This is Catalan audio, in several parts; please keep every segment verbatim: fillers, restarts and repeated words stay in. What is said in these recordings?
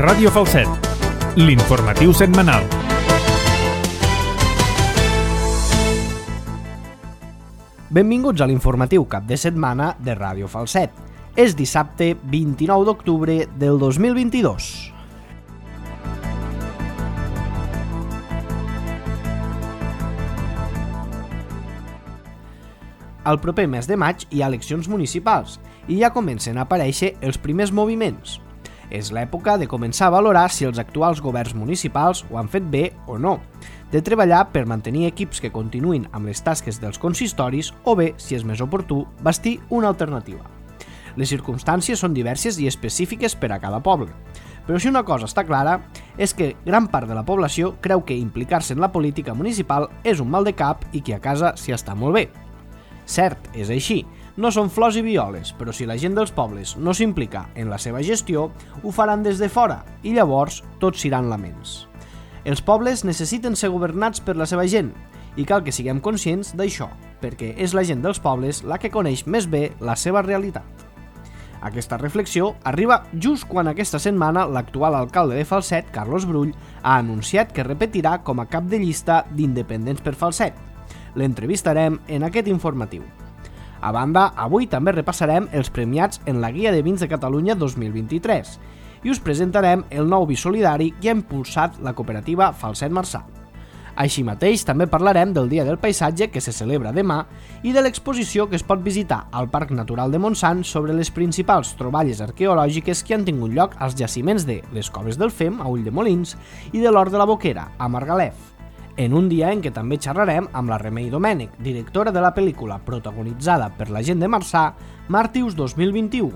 Ràdio Falset, l'informatiu setmanal. Benvinguts a l'informatiu cap de setmana de Ràdio Falset. És dissabte vint-i-nou d'octubre del dos mil vint-i-dos. Al proper mes de maig hi ha eleccions municipals i ja comencen a aparèixer els primers moviments. És l'època de començar a valorar si els actuals governs municipals ho han fet bé o no, de treballar per mantenir equips que continuïn amb les tasques dels consistoris o bé, si és més oportú, bastir una alternativa. Les circumstàncies són diverses i específiques per a cada poble, però si una cosa està clara és que gran part de la població creu que implicar-se en la política municipal és un mal de cap i que a casa s'hi està molt bé. Cert, és així, no són flors i violes, però si la gent dels pobles no s'implica en la seva gestió, ho faran des de fora i llavors tots s'iran laments. Els pobles necessiten ser governats per la seva gent i cal que siguem conscients d'això, perquè és la gent dels pobles la que coneix més bé la seva realitat. Aquesta reflexió arriba just quan aquesta setmana l'actual alcalde de Falset, Carlos Brull, ha anunciat que repetirà com a cap de llista d'Independents per Falset. L'entrevistarem en aquest informatiu. A banda, avui també repassarem els premiats en la Guia de Vins de Catalunya dos mil vint-i-tres i us presentarem el nou vi solidari que ha impulsat la cooperativa Falset Marçà. Així mateix, també parlarem del Dia del Paisatge que se celebra demà i de l'exposició que es pot visitar al Parc Natural de Montsant sobre les principals troballes arqueològiques que han tingut lloc als jaciments de les Coves del Fem, a Ulldemolins, i de l'Hort de la Boquera, a Margalef, en un dia en què també xerrarem amb la Remei Domènech, directora de la pel·lícula protagonitzada per la gent de Marçà, Màrtirs dos mil vint-i-u,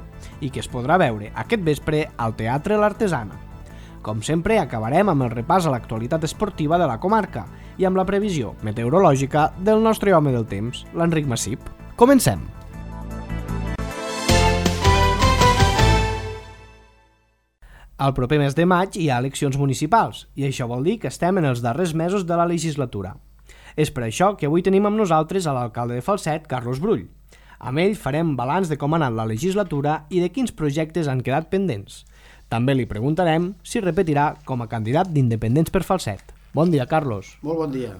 i que es podrà veure aquest vespre al Teatre l'Artesana. Com sempre, acabarem amb el repàs a l'actualitat esportiva de la comarca i amb la previsió meteorològica del nostre home del temps, l'Enric Massip. Comencem! Al proper mes de maig hi ha eleccions municipals i això vol dir que estem en els darrers mesos de la legislatura. És per això que avui tenim amb nosaltres a l'alcalde de Falset, Carlos Brull. Amb ell farem balanç de com ha anat la legislatura i de quins projectes han quedat pendents. També li preguntarem si repetirà com a candidat d'Independents per Falset. Bon dia, Carlos. Molt bon dia.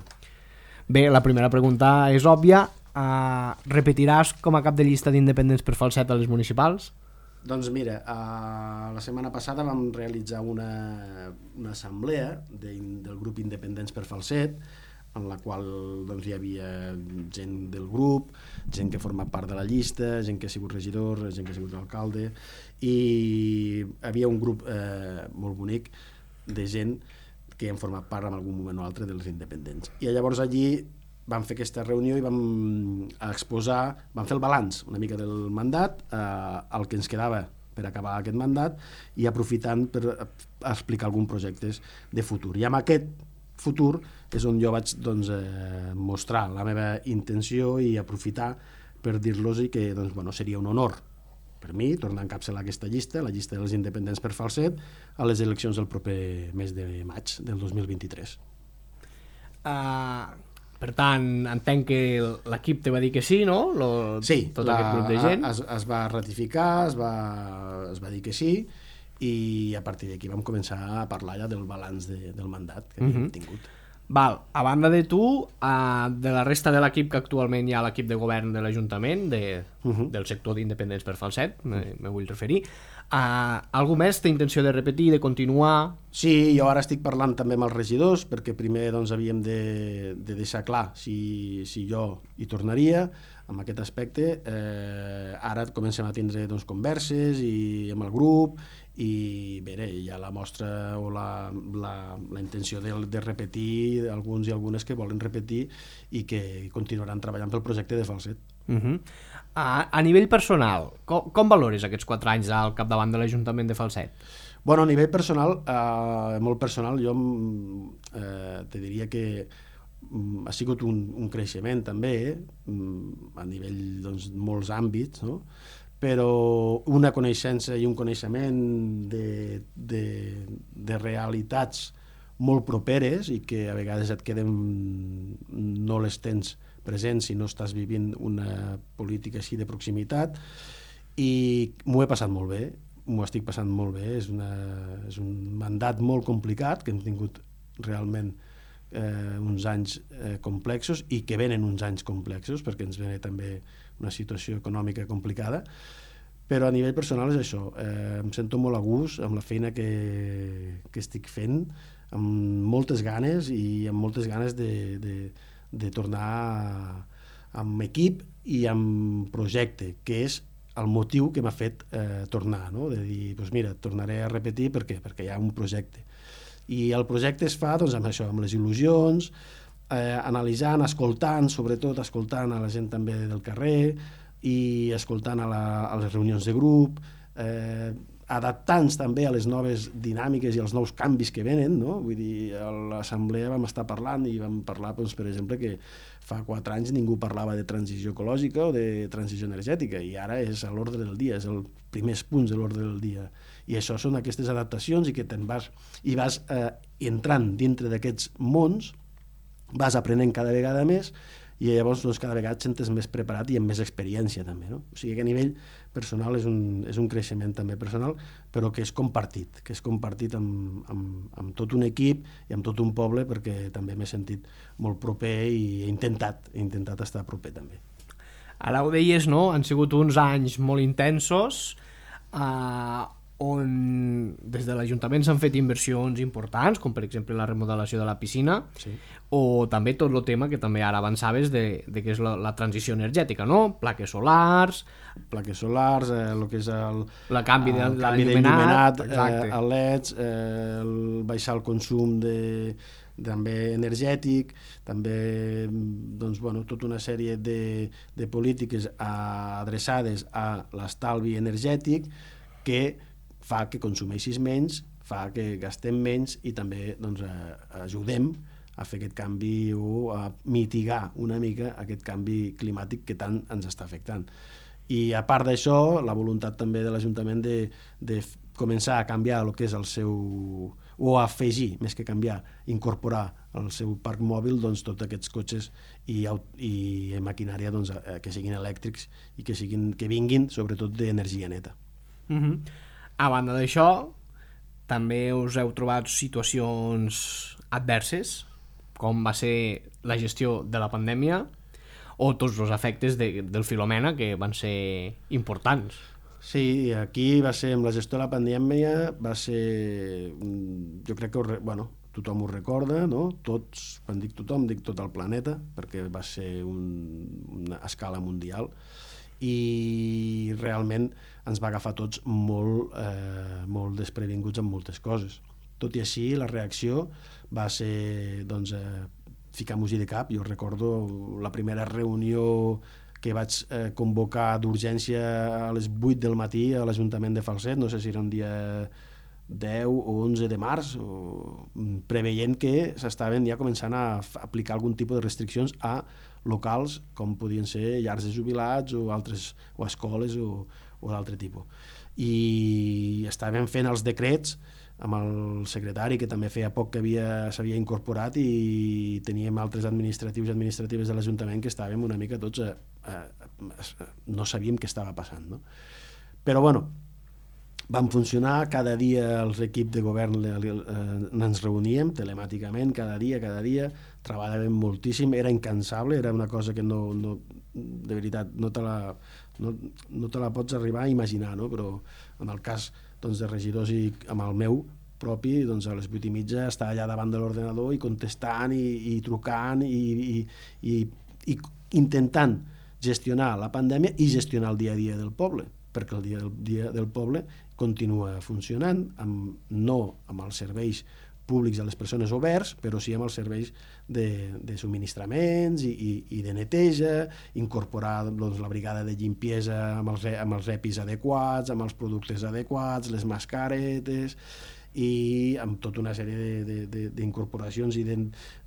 Bé, la primera pregunta és òbvia. Uh, repetiràs com a cap de llista d'Independents per Falset a les municipals? Doncs mira, uh, la setmana passada vam realitzar una, una assemblea de, del grup Independents per Falset, en la qual doncs, hi havia gent del grup, gent que ha format part de la llista, gent que ha sigut regidor, gent que ha sigut alcalde, i hi havia un grup eh, molt bonic de gent que han format part en algun moment o altre dels independents. I llavors allí vam fer aquesta reunió i vam exposar, vam fer el balanç una mica del mandat, eh, el que ens quedava per acabar aquest mandat i aprofitant per explicar alguns projectes de futur. I amb aquest futur és on jo vaig doncs, eh, mostrar la meva intenció i aprofitar per dir-los que doncs, bueno, seria un honor per mi tornar a encapçalar aquesta llista, la llista dels independents per Falset, a les eleccions del proper mes de maig del dos mil vint-i-tres. Uh, per tant, entenc que l'equip te va dir que sí, no? Lo, sí, tot la, aquest grup de gent. Es, es va ratificar, es va, es va dir que sí, i a partir d'aquí vam començar a parlar ja del balanç de, del mandat que havíem uh-huh. tingut. Val, a banda de tu, uh, de la resta de l'equip que actualment hi ha a l'equip de govern de l'Ajuntament, de, uh-huh. del sector d'Independents per Falset, me, me vull referir, uh, algú més té intenció de repetir, de continuar? Sí, jo ara estic parlant també amb els regidors, perquè primer doncs, havíem de, de deixar clar si, si jo hi tornaria, amb aquest aspecte. Eh, ara comencem a tindre doncs, converses i amb el grup, i bé, hi ha la mostra o la, la, la intenció de, de repetir, alguns i algunes que volen repetir i que continuaran treballant pel projecte de Falset. Uh-huh. a, a nivell personal, com, com valores aquests quatre anys al capdavant de l'Ajuntament de Falset? Bueno, a nivell personal, eh, molt personal, jo eh, te diria que ha sigut un, un creixement també, eh, a nivell doncs, molts àmbits, no? Però una coneixença i un coneixement de, de, de realitats molt properes i que a vegades et queden, no les tens presents si no estàs vivint una política així de proximitat, i m'ho he passat molt bé. m'ho estic passant molt bé, és, una, és un mandat molt complicat, que hem tingut realment eh, uns anys eh, complexos i que venen uns anys complexos, perquè ens ve també una situació econòmica complicada, però a nivell personal és això, eh, em sento molt a gust amb la feina que, que estic fent, amb moltes ganes i amb moltes ganes de, de, de tornar a, amb equip i amb projecte, que és el motiu que m'ha fet eh, tornar, no? De dir, doncs mira, tornaré a repetir, per què? Perquè hi ha un projecte. I el projecte es fa doncs, amb això, amb les il·lusions, eh, analitzant, escoltant, sobretot escoltant a la gent també del carrer i escoltant a, la, a les reunions de grup, eh, adaptant-se també a les noves dinàmiques i als nous canvis que venen, no? Vull dir, a l'assemblea vam estar parlant i vam parlar, doncs, per exemple, que fa quatre anys ningú parlava de transició ecològica o de transició energètica i ara és a l'ordre del dia, és el primers punts de l'ordre del dia. I això són aquestes adaptacions i que te'n vas, i vas eh, entrant dintre d'aquests mons, vas aprenent cada vegada més i llavors doncs, cada vegada et sentes més preparat i amb més experiència també, no? O sigui que a nivell personal és un, és un creixement també personal, però que és compartit, que és compartit amb, amb, amb tot un equip i amb tot un poble, perquè també m'he sentit molt proper i he intentat, he intentat estar proper també. Ara ho deies, no? Han sigut uns anys molt intensos, eh, on des de l'Ajuntament s'han fet inversions importants, com per exemple la remodelació de la piscina, sí. O també tot el tema que també ara avançaves de, de què és la, la transició energètica, no? Plaques solars... Plaques solars, eh, el que és el... La canvi de l'il·luminat, eh, el L E Ds, eh, el baixar el consum de, també energètic, també doncs, bueno, tota una sèrie de, de polítiques adreçades a l'estalvi energètic que fa que consumeixis menys, fa que gastem menys i també doncs, ajudem a fer aquest canvi o a mitigar una mica aquest canvi climàtic que tant ens està afectant. I a part d'això, la voluntat també de l'Ajuntament de, de començar a canviar el que és el seu... o afegir, més que canviar, incorporar al seu parc mòbil doncs, tots aquests cotxes i, i maquinària doncs, que siguin elèctrics i que, siguin, que vinguin sobretot d'energia neta. Mm-hmm. A banda d'això, també us heu trobat situacions adverses, com va ser la gestió de la pandèmia o tots els efectes de, del Filomena, que van ser importants. Sí, aquí va ser, amb la gestió de la pandèmia, va ser, jo crec que, bueno, tothom ho recorda, no? Tots, quan dic tothom, dic tot el planeta, perquè va ser un, una escala mundial, i realment ens va agafar tots molt, eh, molt desprevinguts en moltes coses. Tot i així, la reacció va ser doncs, eh, ficar música de cap. Jo recordo la primera reunió que vaig eh, convocar d'urgència a les vuit del matí a l'Ajuntament de Falset, no sé si era un dia deu o onze de març, o, preveient que s'estaven ja començant a aplicar algun tipus de restriccions a locals com podien ser llars de jubilats o altres o escoles o, o d'altre tipus. I estàvem fent els decrets amb el secretari, que també feia poc que s'havia incorporat, i teníem altres administratius i administratives de l'Ajuntament que estàvem una mica tots a, a, a, no sabíem què estava passant, no? Però bueno, van funcionar, cada dia els equips de govern eh, ens reuníem telemàticament, cada dia, cada dia, treballàvem moltíssim, era incansable, era una cosa que no, no de veritat, no te la, no, no te la pots arribar a imaginar, no? Però en el cas doncs, de regidors i amb el meu propi, doncs a les vuit i mitja estar allà davant de l'ordenador i contestant i, i trucant i, i, i, i intentant gestionar la pandèmia i gestionar el dia a dia del poble, perquè el dia, el dia del poble continua funcionant, amb, no amb els serveis públics a les persones oberts, però sí amb els serveis de, de subministraments i, i, i de neteja, incorporar doncs, la brigada de limpiesa amb els, amb els EPIs adequats, amb els productes adequats, les mascaretes, i amb tota una sèrie d'incorporacions i de,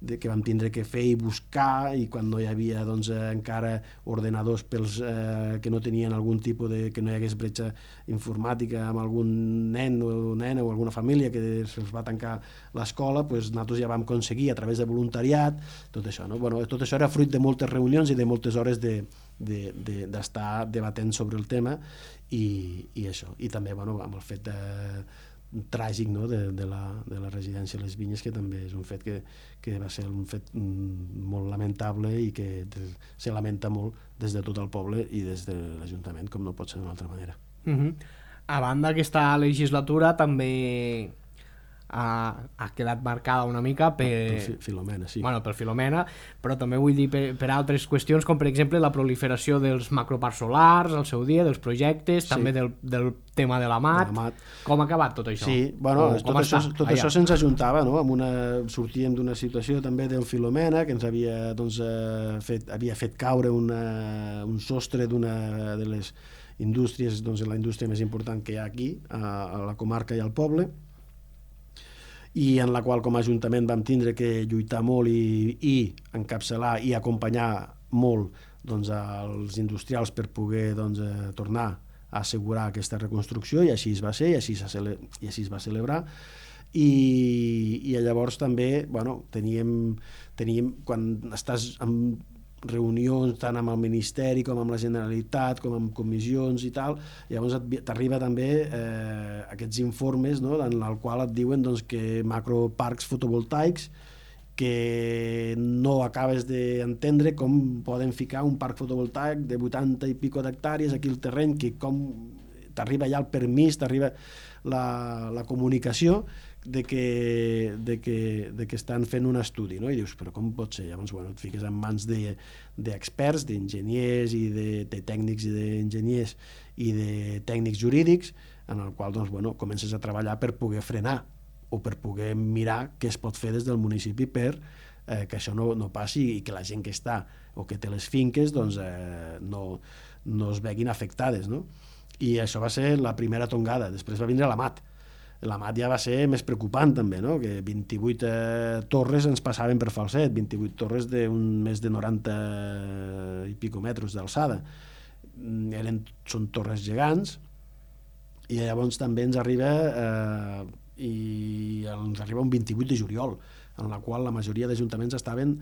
de, que vam tindre que fer i buscar, i quan no hi havia doncs, eh, encara ordenadors pels eh, que no tenien algun tipus de... que no hi hagués bretxa informàtica amb algun nen o nena o alguna família que se'ls va tancar l'escola, doncs nosaltres ja vam aconseguir a través de voluntariat tot això, no? Bueno, tot això era fruit de moltes reunions i de moltes hores de d'estar de, de, debatent sobre el tema i, i això, i també bueno, amb el fet de, tràgic, no? de, de, la, de la residència a les Vinyes, que també és un fet que, que va ser un fet molt lamentable i que se lamenta molt des de tot el poble i des de l'Ajuntament, com no pot ser d'una altra manera. Uh-huh. A banda aquesta legislatura també ha, ha quedat marcada una mica per... Per Filomena, sí. Bueno, per Filomena, però també vull dir per, per altres qüestions, com per exemple la proliferació dels macroparcs solars al seu dia, dels projectes, sí. també del, del tema de la M A T. De la M A T. Com ha acabat tot això? Sí, bueno, o, tot, això, tot això se'ns ajuntava, no? Amb una, sortíem d'una situació també del Filomena, que ens havia, doncs, eh, fet, havia fet caure una, un sostre d'una de les indústries, doncs la indústria més important que hi ha aquí, a, a la comarca i al poble, i en la qual com a Ajuntament vam tindre que lluitar molt i, i encapçalar i acompanyar molt doncs, als industrials per poder doncs, eh, tornar a assegurar aquesta reconstrucció, i així es va ser, i així, cele... i així es va celebrar. I, i llavors també bueno, teníem, teníem, quan estàs amb reunions tant amb el Ministeri com amb la Generalitat, com amb comissions i tal, llavors t'arriba també eh, aquests informes, no?, en el qual et diuen doncs, que macroparcs fotovoltaics que no acabes d'entendre com poden ficar un parc fotovoltaic de vuitanta i pico d'hectàrees aquí al terreny, que com t'arriba ja el permís, t'arriba la, la comunicació de que, de, que, de que estan fent un estudi, no? I dius, però com pot ser? Llavors, bueno, et fiques en mans d'experts, de, d'enginyers i de, de tècnics i d'enginyers i de tècnics jurídics, en el qual doncs, bueno, comences a treballar per poder frenar o per poder mirar què es pot fer des del municipi per eh, que això no, no passi i que la gent que està o que té les finques doncs, eh, no, no es veguin afectades, no? I això va ser la primera tongada. Després va vindre la M A T. La M A T ja va ser més preocupant també, no? Que vint-i-vuit eh, torres ens passaven per Falset, vint-i-vuit torres d'un més de noranta i pico metres d'alçada. Eren, són torres gegants, i llavors també ens arriba eh, i ens arriba un vint-i-vuit de juliol, en la qual la majoria d'ajuntaments estaven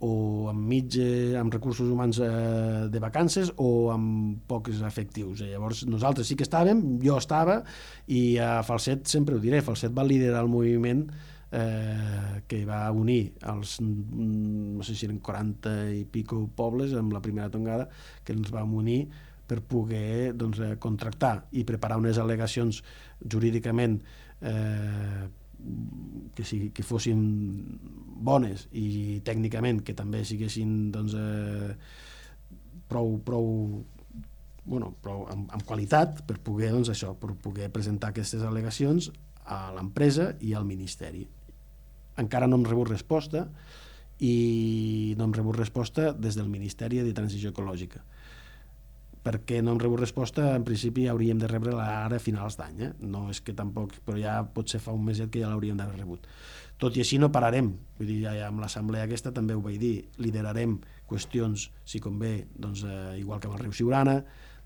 o amb mig, amb recursos humans eh, de vacances o amb pocs efectius. I llavors nosaltres sí que estàvem, jo estava, i a Falset sempre ho diré, Falset va liderar el moviment eh, que va unir els, no sé si eren quaranta i pico pobles amb la primera tongada, que ens vam unir per poder doncs, contractar i preparar unes al·legacions jurídicament eh, que, sigui, que fossin bones i tècnicament que també siguessin doncs, eh, prou, prou, bueno, prou amb, amb qualitat per poder, doncs, això, per poder presentar aquestes al·legacions a l'empresa i al Ministeri. Encara no hem rebut resposta, i no hem rebut resposta des del Ministeri de Transició Ecològica. Perquè no hem rebut resposta, en principi hauríem de rebre-la ara a finals d'any, eh? No és que tampoc, però ja potser fa un meset que ja l'hauríem d'haver rebut. Tot i així no pararem, vull dir, ja amb l'assemblea aquesta també ho vaig dir, liderarem qüestions, si convé, doncs, eh, igual que amb el riu Siurana,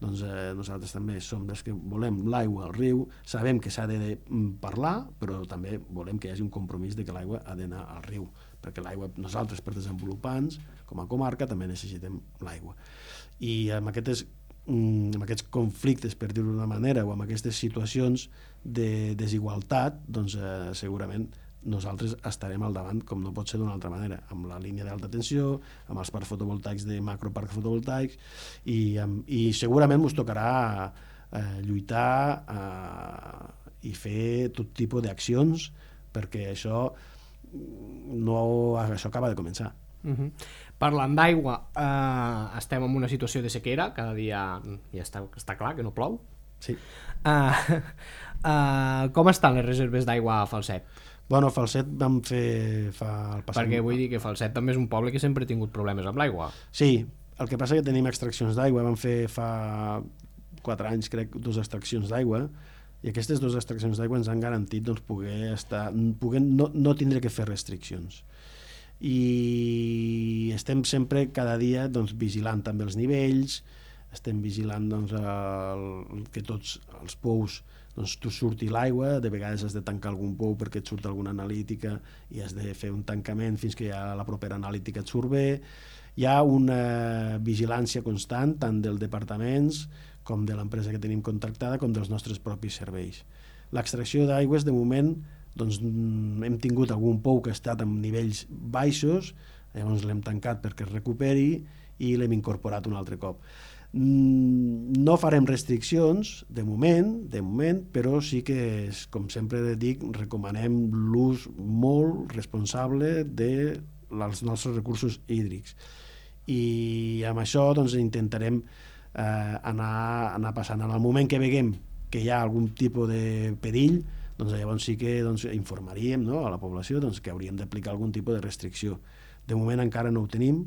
doncs eh, nosaltres també som dels que volem l'aigua al riu, sabem que s'ha de, de parlar, però també volem que hi hagi un compromís de que l'aigua ha d'anar al riu, perquè l'aigua, nosaltres per desenvolupants, com a comarca, també necessitem l'aigua. I amb aquestes amb aquests conflictes, per dir-ho d'una manera, o amb aquestes situacions de desigualtat, doncs eh, segurament nosaltres estarem al davant, com no pot ser d'una altra manera, amb la línia d'alta tensió, amb els parcs fotovoltaics de macroparcs fotovoltaics, i, amb, i segurament ens tocarà eh, lluitar eh, i fer tot tipus d'accions, perquè això, no, això acaba de començar. Uh-huh. Parlant d'aigua, eh, estem en una situació de sequera, cada dia ja està, està clar que no plou. Sí. Eh, eh, com estan les reserves d'aigua a Falset? Bueno, a Falset vam fer fa el passat... Perquè vull dir que Falset també és un poble que sempre ha tingut problemes amb l'aigua. Sí, el que passa és que tenim extraccions d'aigua, vam fer fa quatre anys, crec, dues extraccions d'aigua, I aquestes dues extraccions d'aigua ens han garantit doncs, poder, estar, poder no, no tindre que fer restriccions. I estem sempre cada dia doncs, vigilant també els nivells, estem vigilant doncs, el, que tots els pous doncs, tu surti l'aigua, de vegades has de tancar algun pou perquè et surt alguna analítica i has de fer un tancament fins que ja la propera analítica et surt bé. Hi ha una vigilància constant tant dels departaments com de l'empresa que tenim contractada com dels nostres propis serveis. L'extracció d'aigües de moment doncs, hem tingut algun pou que ha estat en nivells baixos, llavors l'hem tancat perquè es recuperi i l'hem incorporat un altre cop. No farem restriccions de moment, de moment, però sí que, com sempre dic, recomanem l'ús molt responsable dels nostres recursos hídrics. I amb això doncs, intentarem eh, anar, anar passant. En el moment que veiem que hi ha algun tipus de perill, doncs llavors sí que doncs, informaríem, no, a la població doncs, que hauríem d'aplicar algun tipus de restricció. De moment encara no ho tenim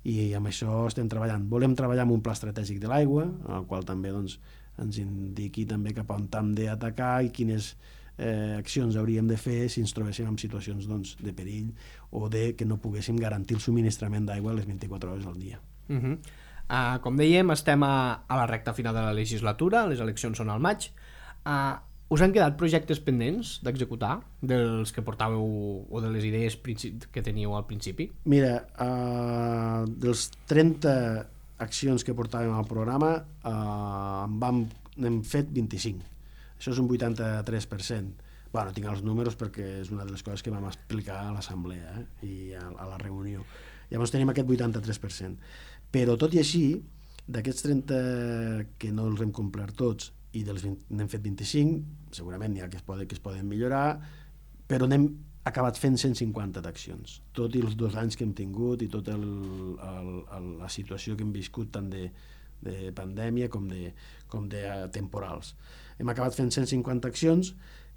i amb això estem treballant. Volem treballar amb un pla estratègic de l'aigua, en el qual també doncs, ens indiqui també cap a on hem d'atacar i quines eh, accions hauríem de fer si ens trobéssim en situacions doncs, de perill o de que no poguéssim garantir el subministrament d'aigua a les vint-i-quatre hores al dia. Uh-huh. Uh, com dèiem, estem a, a la recta final de la legislatura, les eleccions són al maig. Uh, us han quedat projectes pendents d'executar dels que portàveu o de les idees que teníeu al principi? Mira, uh, dels trenta accions que portàvem al programa uh, en vam, n'hem fet vint-i-cinc. Això és un vuitanta-tres per cent. Bueno, tinc els números perquè és una de les coses que vam explicar a l'assemblea eh, i a, a la reunió. Llavors tenim aquest vuitanta-tres per cent. Però tot i així, d'aquests trenta que no els hem complert tots i dels vint, n'hem fet vint-i-cinc, segurament n'hi ha que es, poden, que es poden millorar, però n'hem acabat fent cent cinquanta d'accions, tot i els dos anys que hem tingut i tota la situació que hem viscut tant de, de pandèmia com de, com de temporals. Hem acabat fent cent cinquanta accions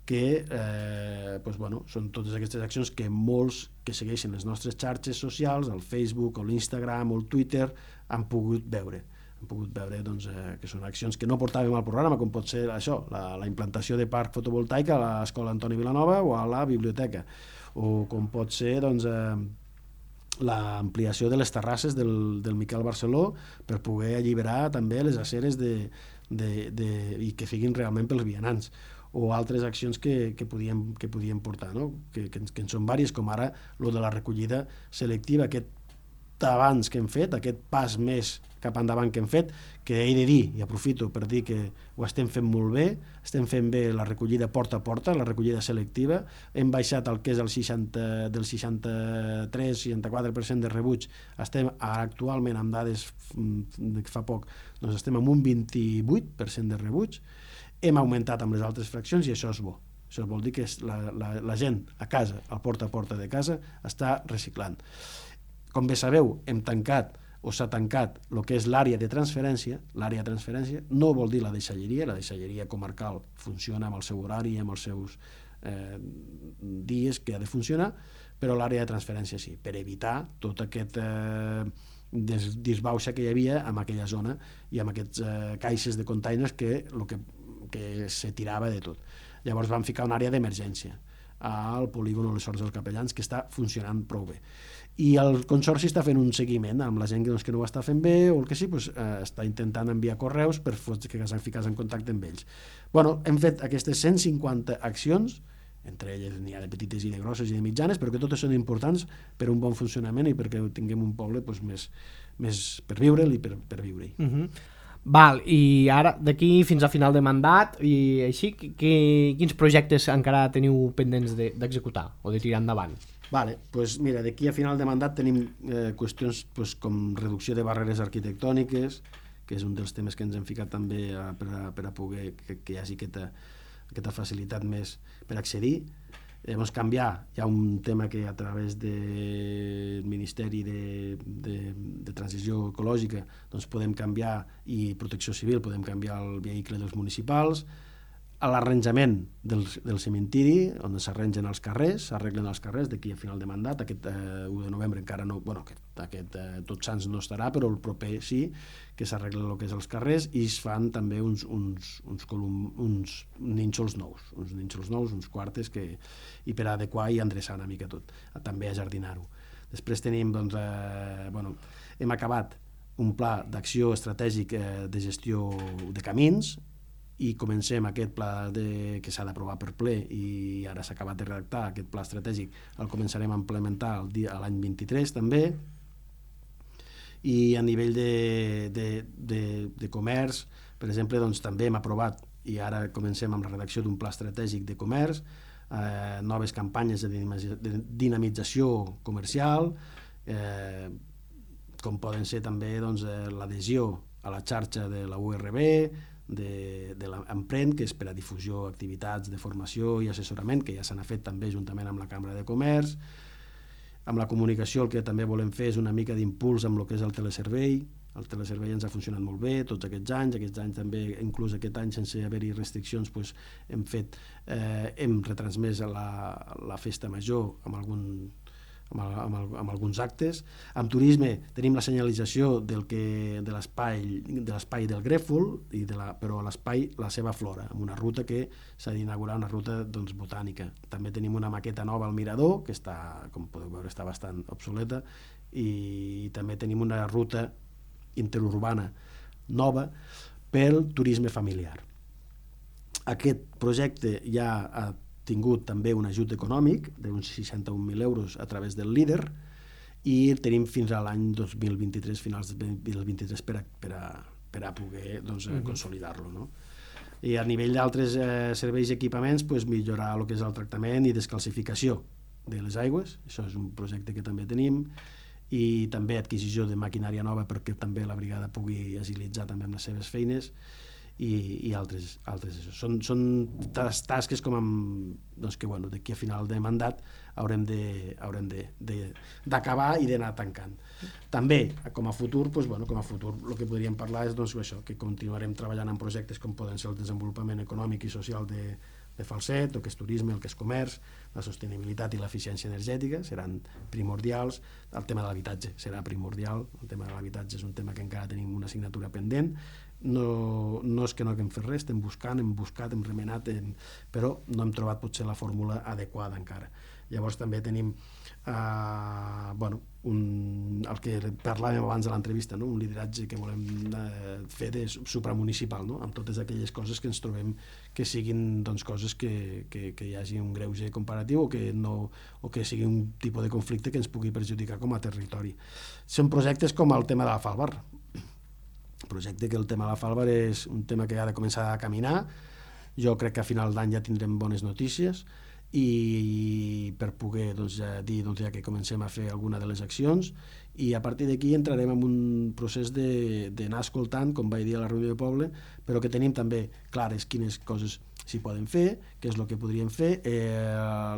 que eh, doncs, bueno, són totes aquestes accions que molts que segueixen les nostres xarxes socials, el Facebook o l'Instagram o el Twitter, han pogut veure. Hem pogut veure doncs, eh, que són accions que no portàvem al programa, com pot ser això, la, la implantació de parc fotovoltaic a l'Escola Antoni Vilanova o a la biblioteca, o com pot ser doncs, eh, l'ampliació de les terrasses del, del Miquel Barceló per poder alliberar també les aceres de, de, de, i que siguin realment pels vianants, o altres accions que, que, podíem, que podíem portar, no? que, que, que en són vàries, com ara lo de la recollida selectiva, aquest avanç que hem fet, aquest pas més cap endavant que hem fet, que he de dir, i aprofito per dir que ho estem fent molt bé, estem fent bé la recollida porta a porta, la recollida selectiva, hem baixat el que és el seixanta, del seixanta-tres a seixanta-quatre per cent de rebuig, estem actualment amb dades de fa poc, doncs estem amb un vint-i-vuit per cent de rebuig, hem augmentat amb les altres fraccions i això és bo. Això vol dir que la, la, la gent a casa, al porta a porta de casa, està reciclant. Com bé sabeu, hem tancat o s'ha tancat el que és l'àrea de transferència. L'àrea de transferència no vol dir la deixalleria, la deixalleria comarcal funciona amb el seu horari i amb els seus eh, dies que ha de funcionar, però l'àrea de transferència sí, per evitar tot aquest eh, disbauxa que hi havia en aquella zona i amb aquests eh, caixes de containers que, lo que, que se tirava de tot. Llavors vam ficar una àrea d'emergència al polígon Les Horts dels Capellans, que està funcionant prou bé. I el Consorci està fent un seguiment amb la gent que, doncs, que no ho està fent bé o el que sí, doncs, eh, està intentant enviar correus per que s'han ficat en contacte amb ells. Bueno, hem fet aquestes cent cinquanta accions, entre elles n'hi ha de petites i de grosses i de mitjanes, però que totes són importants per un bon funcionament i perquè tinguem un poble doncs, més, més per viure'l i per, per viure-hi. Uh-huh. Val, i ara d'aquí fins a final de mandat i així, que, quins projectes encara teniu pendents d'executar de, o de tirar endavant? Vale, pues mira, d'aquí a final de mandat tenim eh, qüestions pues, com reducció de barreres arquitectòniques, que és un dels temes que ens hem ficat també a, per, a, per a poder que, que hi hagi aquesta, aquesta facilitat més per accedir. Llavors canviar, hi ha un tema que a través del Ministeri de, de, de Transició Ecològica doncs podem canviar, i Protecció Civil podem canviar el vehicle dels municipals. a l'arranjament del, del cementiri, on s'arrangen els carrers, s'arreglen els carrers d'aquí a final de mandat. Aquest eh, u de novembre encara no, bueno, aquest, aquest eh, Tots Sants no estarà, però el proper sí, que s'arreglen el que és els carrers, i es fan també uns, uns, uns, colum, uns nínxols nous, uns nínxols nous, uns quartes, que, i per adequar i endreçar una mica tot, també a jardinar-ho. Després tenim, doncs, eh, bueno, hem acabat un pla d'acció estratègic eh, de gestió de camins, i comencem aquest pla de, que s'ha d'aprovar per ple, i ara s'ha acabat de redactar aquest pla estratègic, el començarem a implementar el dia, l'any vint-i-tres també. I a nivell de, de, de, de comerç, per exemple, doncs, també hem aprovat, i ara comencem amb la redacció d'un pla estratègic de comerç, eh, noves campanyes de dinamització comercial, eh, com poden ser també, doncs, eh, l'adhesió a la xarxa de la U R B, de, de l'Emprèn, que és per a difusió, activitats de formació i assessorament, que ja s'han fet també juntament amb la Cambra de Comerç. Amb la comunicació el que també volem fer és una mica d'impuls amb el que és el teleservei. El teleservei ens ha funcionat molt bé tots aquests anys, aquests anys també, inclús aquest any sense haver-hi restriccions, doncs hem fet, eh, hem retransmès la, la festa major amb algun Amb, el, amb, el, amb alguns actes. Amb turisme tenim la senyalització del que, de l'espai de l'espai del Grèfol, i de la, però l'espai, la seva flora, amb una ruta que s'ha d'inaugurar, una ruta, doncs, botànica. També tenim una maqueta nova al mirador, que està, com podeu veure, està bastant obsoleta, i també tenim una ruta interurbana nova pel turisme familiar. Aquest projecte ja ha tingut també un ajut econòmic d'uns seixanta-un mil euros a través del líder, i tenim fins a l'any dos mil vint-i-tres, finals del dos mil vint-i-tres, per a, per a, per a poder, doncs, uh-huh. consolidar-lo, no? I a nivell d'altres eh, serveis i equipaments, pues, millorar el que és el tractament i descalcificació de les aigües. Això és un projecte que també tenim, i també adquisició de maquinària nova perquè també la brigada pugui agilitzar també amb les seves feines, i, i altres, altres això. Són, són tas, tasques com amb, doncs, que bueno, d'aquí a final de mandat haurem de, haurem de, de, d'acabar i d'anar tancant. També, com a futur, doncs, bueno, com a futur el que podríem parlar és, doncs, això, que continuarem treballant en projectes com poden ser el desenvolupament econòmic i social de, de Falset, el que és turisme, el que és comerç, la sostenibilitat i l'eficiència energètica seran primordials, el tema de l'habitatge serà primordial, el tema de l'habitatge és un tema que encara tenim una assignatura pendent. No, no és que no haguem fet res, estem buscant, hem buscat, hem remenat, hem, però no hem trobat potser la fórmula adequada encara. Llavors també tenim eh, bueno, un, el que parlàvem abans de l'entrevista, no? Un lideratge que volem eh, fer de supramunicipal, no? Amb totes aquelles coses que ens trobem que siguin, doncs, coses que, que, que hi hagi un greuge comparatiu, o que, no, o que sigui un tipus de conflicte que ens pugui perjudicar com a territori. Són projectes com el tema de la Falbar, projecte que el tema de la Falbar és un tema que ha de començar a caminar. Jo crec que a final d'any ja tindrem bones notícies, i per poder, doncs, ja dir, doncs, ja que comencem a fer alguna de les accions, i a partir d'aquí entrarem en un procés d'anar escoltant, com vaig dir a la reunió de poble, però que tenim també clares quines coses s'hi poden fer, què és el que podríem fer. Eh,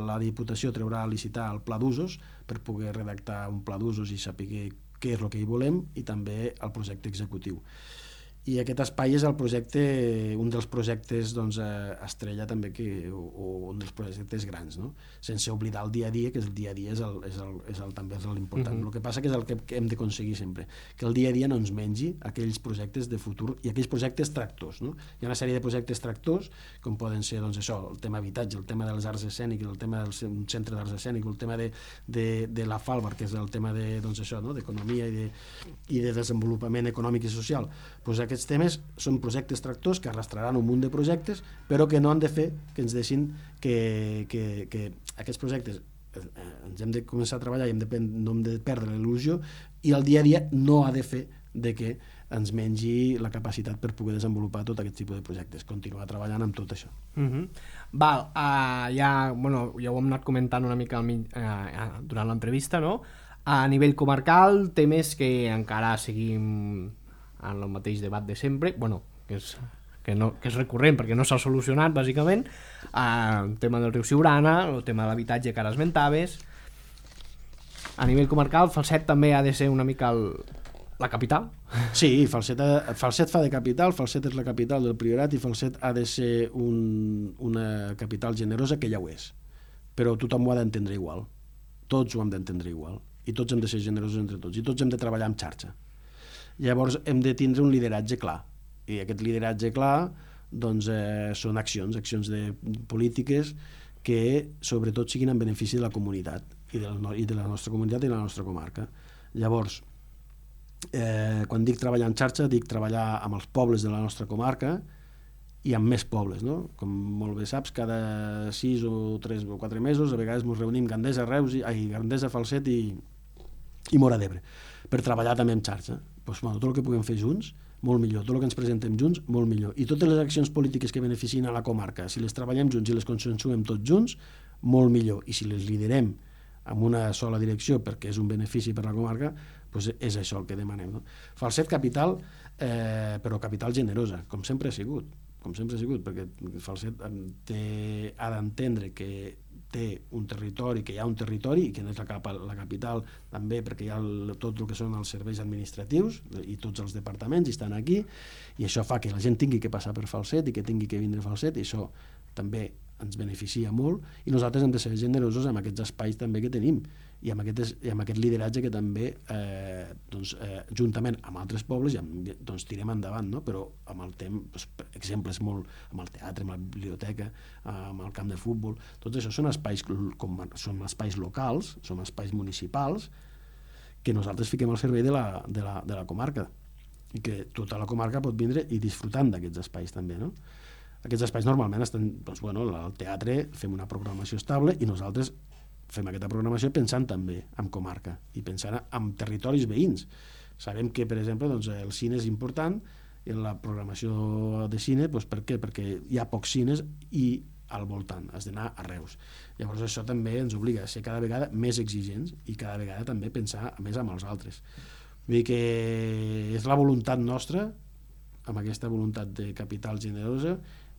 la Diputació traurà a licitar el pla d'usos per poder redactar un pla d'usos i saber què és el que hi volem, i també el projecte executiu. I aquest espai és el projecte, un dels projectes, doncs, estrella també, que, o, o un dels projectes grans, no? Sense oblidar el dia a dia, que el dia a dia és, el, és, el, és el, també és l'important. Uh-huh. El que passa que és el que hem d'aconseguir sempre, que el dia a dia no ens mengi aquells projectes de futur i aquells projectes tractors, no? Hi ha una sèrie de projectes tractors, com poden ser, doncs, això, el tema habitatge, el tema de les arts escèniques, el tema del centre d'arts escèniques, el tema de, de, de la Falbar, que és el tema de, doncs, això, no? D'economia i, de, i de desenvolupament econòmic i social. Doncs aquests temes són projectes tractors que arrastraran un munt de projectes, però que no han de fer que ens deixin que, que, que aquests projectes eh, ens hem de començar a treballar i hem de, no hem de perdre l'il·lusió, i el dia a dia no ha de fer de que ens mengi la capacitat per poder desenvolupar tot aquest tipus de projectes, continuar treballant amb tot això. Uh-huh. Val, uh, ja, bueno, ja ho hem anat comentant una mica al mig, uh, durant l'entrevista, no? A nivell comarcal, temes que encara seguim en el mateix debat de sempre, bueno, que és, que no, que és recurrent perquè no s'ha solucionat, bàsicament, el tema del riu Siurana, el tema de l'habitatge que ara esmentaves. A nivell comarcal, Falset també ha de ser una mica el, la capital. Sí, Falset, ha, Falset fa de capital, Falset és la capital del Priorat i Falset ha de ser un, una capital generosa, que ja ho és. Però tothom ho ha d'entendre igual. Tots ho hem d'entendre igual. I tots hem de ser generosos entre tots. I tots hem de treballar en xarxa. Llavors hem de tindre un lideratge clar. I aquest lideratge clar doncs, eh, són accions, accions de polítiques que sobretot siguin en benefici de la comunitat i de la, i de la nostra comunitat i de la nostra comarca. Llavors, eh, quan dic treballar en xarxa, dic treballar amb els pobles de la nostra comarca i amb més pobles, no? Com molt bé saps, cada sis o tres o quatre mesos a vegades ens reunim Gandesa, Reus, i, ai, Gandesa, Falset i, i Móra d'Ebre per treballar també en xarxa. Pues, bueno, tot el que puguem fer junts, molt millor. Tot el que ens presentem junts, molt millor. I totes les accions polítiques que beneficien a la comarca, si les treballem junts i les consensuem tots junts, molt millor. I si les liderem amb una sola direcció perquè és un benefici per a la comarca, doncs és això el que demanem. No? Falset capital, eh, però capital generosa, com sempre ha sigut. Com sempre ha sigut, perquè Falset té, ha d'entendre que té un territori, que hi ha un territori i que no és la, cap, la capital també perquè hi ha el, tot el que són els serveis administratius i tots els departaments i estan aquí, i això fa que la gent tingui que passar per Falset i que tingui que vindre a Falset, i això també ens beneficia molt, i nosaltres hem de ser generosos amb aquests espais també que tenim i amb aquest, i amb aquest lideratge que també eh, doncs, eh, juntament amb altres pobles ja, doncs, tirem endavant, no? Però amb el temps, doncs, exemples molt amb el teatre, amb la biblioteca, amb el camp de futbol, tots això són espais, com, són espais locals, són espais municipals que nosaltres fiquem al servei de la, de la, de la comarca i que tota la comarca pot vindre i disfrutant d'aquests espais també, no? Aquests espais normalment estan, doncs, bueno, al teatre fem una programació estable i nosaltres fem aquesta programació pensant també en comarca i pensant en territoris veïns. Sabem que, per exemple, doncs, el cine és important en la programació de cine, doncs, per què? Perquè hi ha pocs cines i al voltant, has d'anar a Reus. Llavors això també ens obliga a ser cada vegada més exigents i cada vegada també pensar més amb els altres. Vull dir que és la voluntat nostra, amb aquesta voluntat de capital generosa,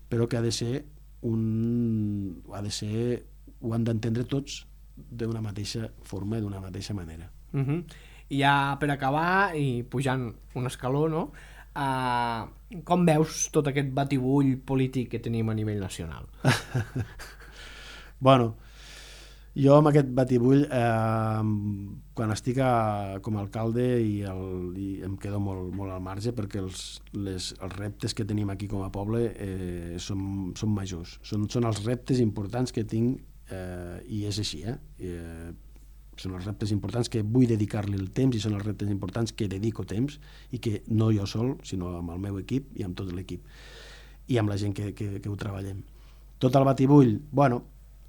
però que ha de ser un... ha de ser... ho han d'entendre tots d'una mateixa forma i d'una mateixa manera. Uh-huh. I ja per acabar, i pujant un escaló, no? Uh, com veus tot aquest batibull polític que tenim a nivell nacional? Bueno, jo amb aquest batibull, eh, quan estic a, com a alcalde i, el, i em quedo molt, molt al marge perquè els, les, els reptes que tenim aquí com a poble eh, són, són majors. Són, són els reptes importants que tinc eh, i és així. Eh? Eh, són els reptes importants que vull dedicar-li el temps i són els reptes importants que dedico temps i que no jo sol, sinó amb el meu equip i amb tot l'equip i amb la gent que, que, que ho treballem. Tot el batibull, bueno,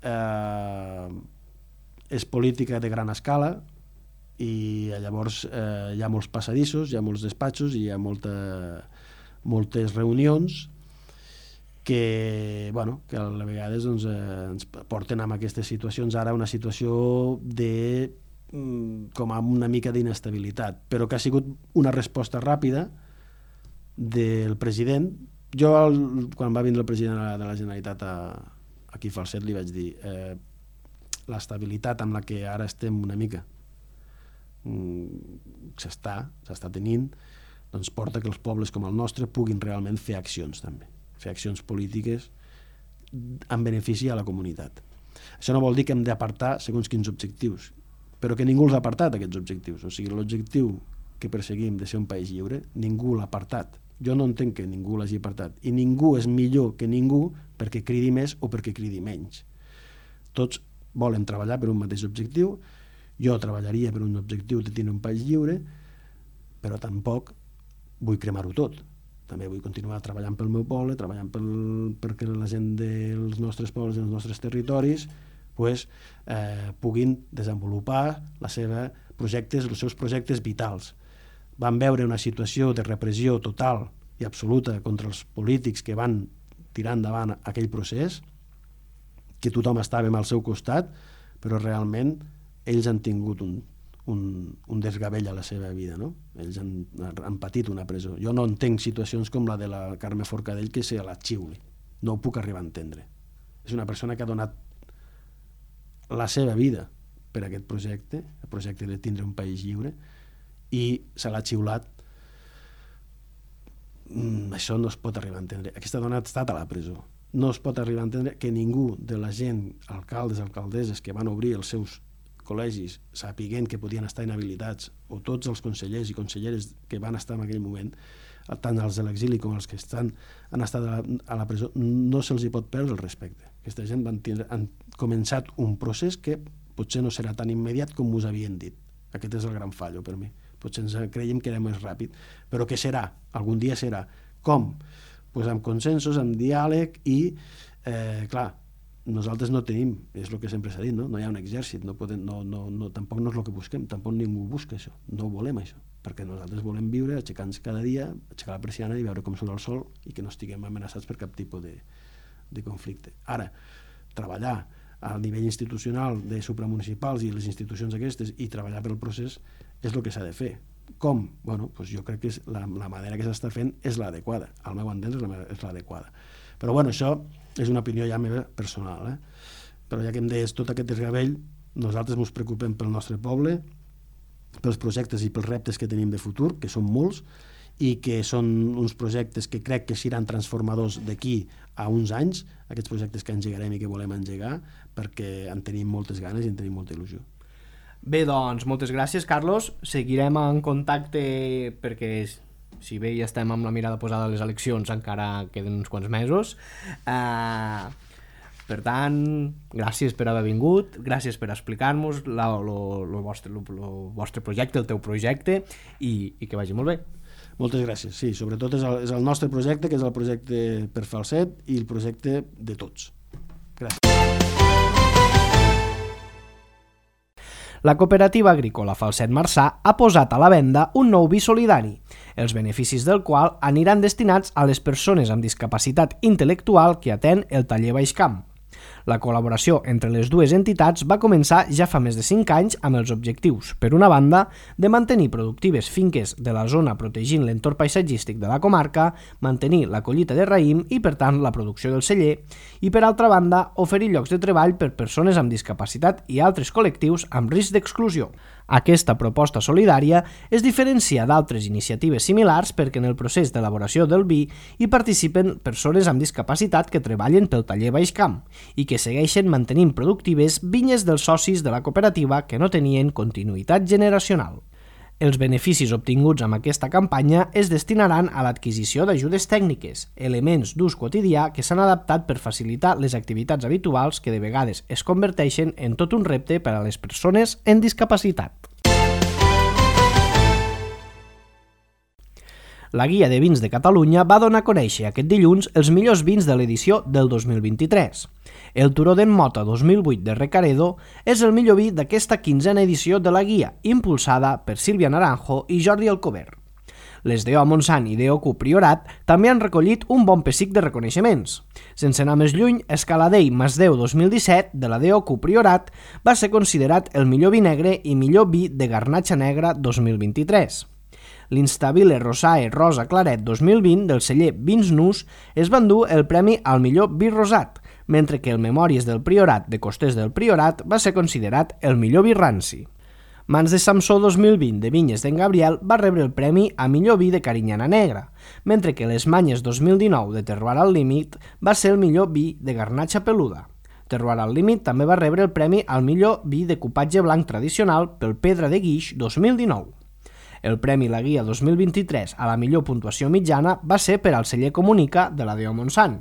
eh, és política de gran escala i llavors eh, hi ha molts passadissos, hi ha molts despatxos i hi ha molta, moltes reunions que, bueno, que a vegades doncs, eh, ens porten a aquestes situacions, ara una situació de com a una mica d'inestabilitat, però que ha sigut una resposta ràpida del president. Jo, el, quan va vindre el president de la Generalitat a, aquí a Falset, li vaig dir eh, l'estabilitat amb la que ara estem una mica mm, s'està, s'està tenint, doncs porta que els pobles com el nostre puguin realment fer accions també, fer accions polítiques en benefici a la comunitat. Això no vol dir que hem d'apartar segons quins objectius, però que ningú els ha apartat, aquests objectius. O sigui, l'objectiu que perseguim de ser un país lliure, ningú l'ha apartat. Jo no entenc que ningú l'hagi apartat. I ningú és millor que ningú perquè cridi més o perquè cridi menys. Tots volen treballar per un mateix objectiu. Jo treballaria per un objectiu de tenir un país lliure, però tampoc vull cremar-ho tot. També vull continuar treballant pel meu poble, treballant pel, perquè la gent dels nostres pobles i dels nostres territoris pues, eh, puguin desenvolupar la seva projectes, els seus projectes vitals. Vam veure una situació de repressió total i absoluta contra els polítics que van tirar endavant aquell procés, que tothom estàvem al seu costat, però realment ells han tingut un, un, un desgavell a la seva vida, no? Ells han, han patit una presó. Jo no entenc situacions com la de la Carme Forcadell que se la xiuli. No ho puc arribar a entendre. És una persona que ha donat la seva vida per aquest projecte, el projecte de tindre un país lliure, i se l'ha xiulat. Mm, això no es pot arribar a entendre. Aquesta dona ha estat a la presó. No es pot arribar a entendre que ningú de la gent, alcaldes, alcaldesses, que van obrir els seus col·legis sapiguent que podien estar inhabilitats, o tots els consellers i conselleres que van estar en aquell moment, tant els de l'exili com els que estan, han estat a la, a la presó, no se'ls hi pot perdre el respecte. Aquesta gent van tindre, han començat un procés que potser no serà tan immediat com us havien dit. Aquest és el gran fallo per mi. Potser ens creiem que era més ràpid, però que serà, algun dia serà. Com? Pues amb consensos, amb diàleg i, eh, clar, nosaltres no tenim, és el que sempre s'ha dit, no? No hi ha un exèrcit, no podem, no, no, no, tampoc no és el que busquem, tampoc ningú busca això, no volem això, perquè nosaltres volem viure aixecant-nos cada dia, aixecar la persiana i veure com surt el sol i que no estiguem amenaçats per cap tipus de, de conflicte. Ara, treballar a nivell institucional de supramunicipals i les institucions aquestes i treballar pel procés és el que s'ha de fer. Com? Bueno, doncs jo crec que és la, la manera que s'està fent és l'adequada, al meu entendre és l'adequada. Però bueno, això és una opinió ja meva personal, eh? Però ja que em deies tot aquest desgavell, nosaltres ens preocupem pel nostre poble, pels projectes i pels reptes que tenim de futur, que són molts, i que són uns projectes que crec que seran transformadors d'aquí a uns anys, aquests projectes que engegarem i que volem engegar, perquè en tenim moltes ganes i en tenim molta il·lusió. Bé, doncs, moltes gràcies, Carlos. Seguirem en contacte perquè, si bé ja estem amb la mirada posada a les eleccions, encara queden uns quants mesos. Uh, per tant, gràcies per haver vingut, gràcies per explicar-nos el vostre, vostre projecte, el teu projecte, i, i que vagi molt bé. Moltes gràcies. Sí, sobretot és el, és el nostre projecte, que és el projecte per Falset i el projecte de tots. Gràcies. La cooperativa agrícola Falset Marçà ha posat a la venda un nou vi solidari, els beneficis del qual aniran destinats a les persones amb discapacitat intel·lectual que atén el taller Baixcamp. La col·laboració entre les dues entitats va començar ja fa més de cinc anys amb els objectius, per una banda, de mantenir productives finques de la zona protegint l'entorn paisatgístic de la comarca, mantenir la collita de raïm i, per tant, la producció del celler, i, per altra banda, oferir llocs de treball per persones amb discapacitat i altres col·lectius amb risc d'exclusió. Aquesta proposta solidària es diferencia d'altres iniciatives similars perquè en el procés d'elaboració del vi hi participen persones amb discapacitat que treballen pel taller Baixcamp i que segueixen mantenint productives vinyes dels socis de la cooperativa que no tenien continuïtat generacional. Els beneficis obtinguts amb aquesta campanya es destinaran a l'adquisició d'ajudes tècniques, elements d'ús quotidià que s'han adaptat per facilitar les activitats habituals que de vegades es converteixen en tot un repte per a les persones amb discapacitat. La Guia de Vins de Catalunya va donar a conèixer aquest dilluns els millors vins de l'edició del dos mil vint-i-tres. El Turó d'en Mota dos mil vuit de Recaredo és el millor vi d'aquesta quinzena edició de la guia, impulsada per Sílvia Naranjo i Jordi Alcover. Les d'E O Montsant i d'E O Q Priorat també han recollit un bon pessic de reconeixements. Sense anar més lluny, Escaladell Masdeu dos mil disset, de la d'E O Q Priorat, va ser considerat el millor vi negre i millor vi de garnatxa negra dos mil vint-i-tres. L'Instabile Rosae Rosa Claret dos mil vint del celler Vins Nus es va endur el premi al millor vi rosat, mentre que el Memòries del Priorat de Costers del Priorat va ser considerat el millor vi ranci. Mans de Samsó dos mil vint de Vinyes d'en Gabriel va rebre el premi a millor vi de Carinyana Negra, mentre que les Manyes dos mil dinou de Terroir al Límit va ser el millor vi de garnatxa peluda. Terroir al Límit també va rebre el premi al millor vi de cupatge blanc tradicional pel Pedra de Guix dos mil dinou. El Premi La Guia dos mil vint-i-tres a la millor puntuació mitjana va ser per al celler Comunica de la d'E O Montsant.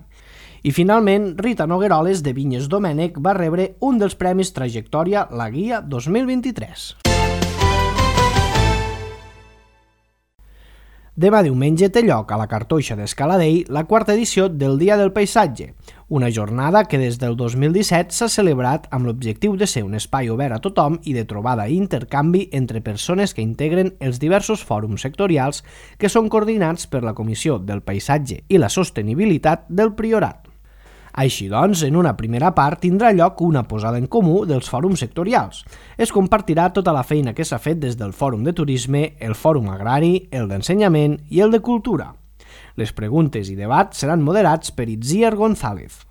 I finalment, Rita Nogueroles de Vinyes Domènec va rebre un dels premis Trajectòria La Guia dos mil vint-i-tres. Demà diumenge té lloc a la Cartoixa d'Escaladell la quarta edició del Dia del Paisatge, una jornada que des del dos mil disset s'ha celebrat amb l'objectiu de ser un espai obert a tothom i de trobada i intercanvi entre persones que integren els diversos fòrums sectorials que són coordinats per la Comissió del Paisatge i la Sostenibilitat del Priorat. Així doncs, en una primera part tindrà lloc una posada en comú dels fòrums sectorials. Es compartirà tota la feina que s'ha fet des del Fòrum de Turisme, el Fòrum Agrari, el d'Ensenyament i el de Cultura. Les preguntes i debats seran moderats per Itziar González.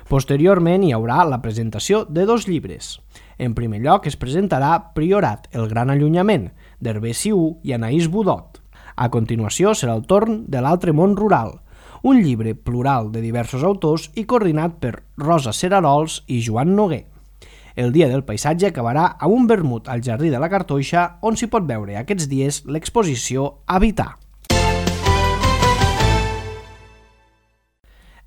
Posteriorment hi haurà la presentació de dos llibres. En primer lloc es presentarà Priorat, el gran allunyament, d'Hervé Siú i Anaïs Budot. A continuació serà el torn de L'altre món rural, un llibre plural de diversos autors i coordinat per Rosa Cerarols i Joan Noguer. El dia del paisatge acabarà amb un vermut al Jardí de la Cartoixa, on s'hi pot veure aquests dies l'exposició Habitar.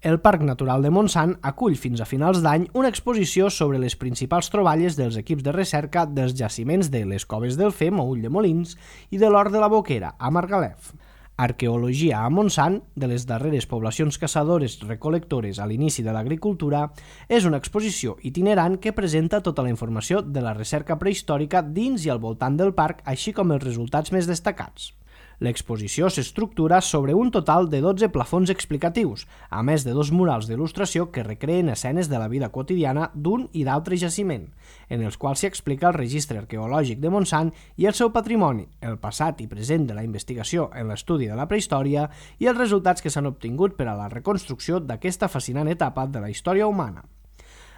El Parc Natural de Montsant acull fins a finals d'any una exposició sobre les principals troballes dels equips de recerca dels jaciments de les Coves del Fem a Ulldemolins i de l'Hort de la Boquera a Margalef. Arqueologia a Montsant, de les darreres poblacions caçadores recol·lectores a l'inici de l'agricultura, és una exposició itinerant que presenta tota la informació de la recerca prehistòrica dins i al voltant del parc, així com els resultats més destacats. L'exposició s'estructura sobre un total de dotze plafons explicatius, a més de dos murals d'il·lustració que recreen escenes de la vida quotidiana d'un i d'altre jaciment, en els quals s'hi explica el registre arqueològic de Montsant i el seu patrimoni, el passat i present de la investigació en l'estudi de la prehistòria i els resultats que s'han obtingut per a la reconstrucció d'aquesta fascinant etapa de la història humana.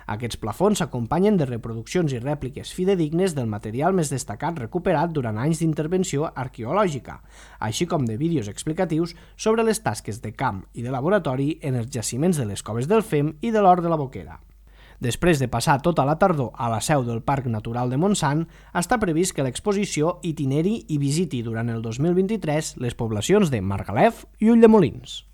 Aquests plafons s'acompanyen de reproduccions i rèpliques fidedignes del material més destacat recuperat durant anys d'intervenció arqueològica, així com de vídeos explicatius sobre les tasques de camp i de laboratori en els jaciments de les Coves del Fem i de l'Hort de la Boquera. Després de passar tota la tardor a la seu del Parc Natural de Montsant, està previst que l'exposició itineri i visiti durant el dos mil vint-i-tres les poblacions de Margalef i Ulldemolins.